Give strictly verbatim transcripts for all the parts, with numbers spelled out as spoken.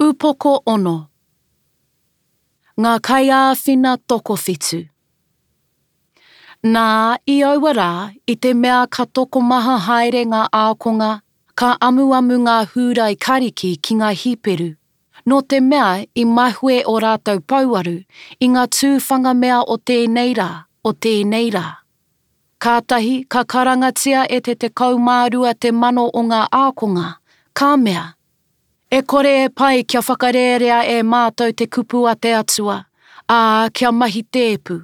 Upoko ono. Ngā kaiāwhina tokowhitu. Nā, i aua rā, i te mea ka tokomaha haere ngā ākonga, ka amuamu ngā Hūrai Kariki ki ngā Hīperu, nō te mea i mahue ō rātou pouaru i ngā tūwhanga mea o tēnei rā, o tēnei rā. Kātahi ka karangatia e te tekau mā rua te mano o ngā ākonga, ka mea, E kore e pai kia whakarērea e mātou te kupu a te Atua, ā, kia mahi tēpu.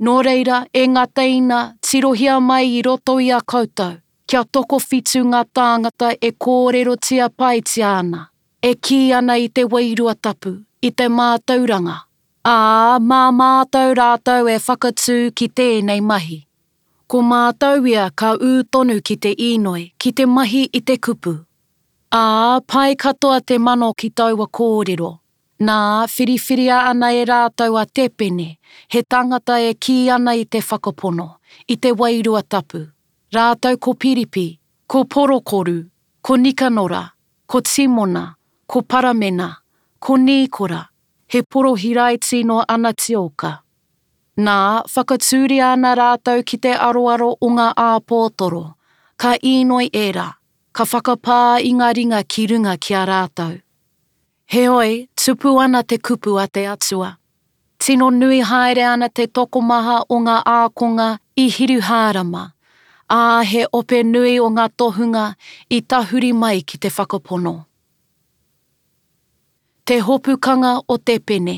Nō reira, e ngā teina, tirohia mai i roto i a koutou, kia tokowhitu ngā tāngata e kōrerotia paitia ana, e kī ana i te Wairua Tapu, i te mātauranga, ā, mā mātou rātou e whakatū ki tēnei mahi. Ko mātou ia ka ū tonu ki te īnoi, ki te mahi i te kupu. Ā, pai katoa te mano ki taua kōrero. Nā, whiriwhiria ana e rātou a Tepene, he tangata e kī ana i te whakapono, i te Wairua Tapu, rātou ko Piripi, ko Porokoru, ko Nikanora, ko Timona, ko Paramena, ko Nīkora, he porohiraiti nō Anatioka. Nā, whakatūria ana rātou ki te aroaro o ngā āpōtoro, ka īnoi ērā, ka whakapā i ngā ringa ki runga ki a rātou. Heoi, tupu ana te kupu a te Atua. Tino nui haere ana te tokomaha o ngā ākonga i Hiruhārama, ā, he ope nui o ngā tohunga i tahuri mai ki te whakapono. Te hopukanga o te pene.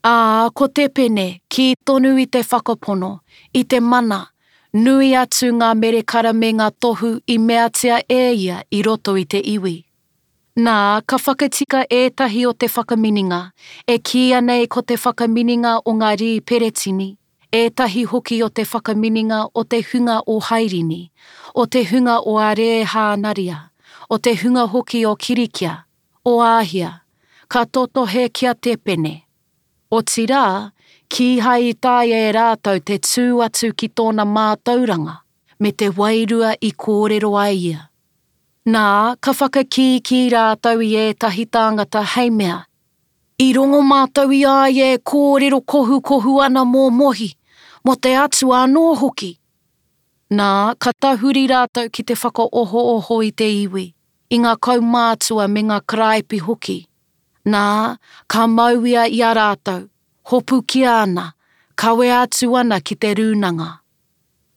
Ā, ko te pene, kī tonu i te whakapono, i te mana, nui atu ngā merekara me ngā tohu i meatia e ia i roto i te iwi. Nā, ka whakatika ētahi o te whakaminenga, e kīia nei ko te whakaminenga o ngā Rīperetini, ētahi hoki o te whakaminenga o te hunga o Hairini, o te hunga o Arēhānaria, o te hunga hoki o Kirikia, o Āhia, ka totohe ki a Tepene. Otirā, kīhai i taea e rātou te tū atu ki tōna mātauranga me te wairua i kōrero ai ia. Nā, ka whakakīkī rātou i ētahi tāngata hei mea, I rongo mātou i a ia e kōrero kohukohu ana mō Mohi, mō te Atua anō hoki. Nā, ka tahuri rātou ki te whakaohooho i te iwi, i ngā kaumātua me ngā karaipi hoki. Nā, ka mau ia i a rātou, hopukia ana, kawea atu ana ki te rūnanga.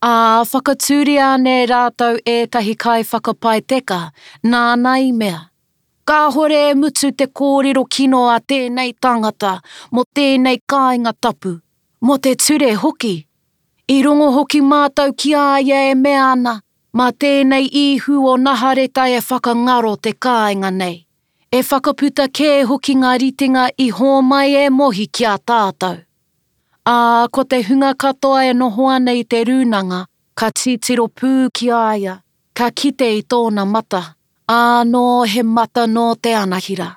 Ā, whakatūria ana e rātou ētahi kaiwhakapae teka, nāna i mea, Kāhore e mutu te kōrero kino a tēnei tangata mō tēnei kāinga tapu, mō te ture hoki. I rongo hoki mātou ki a ia e mea ana, Mā tēnei Īhu o Nahareta e whakangaro te kāinga nei, e whakaputa kē hoki ngā ritenga i hōmai e Mohi ki a tātou. Ā, ko te hunga katoa e noho ana i te rūnanga, ka titiro pū ki a ia, ka kite i tōna mata, ānō he mata nō te anahira.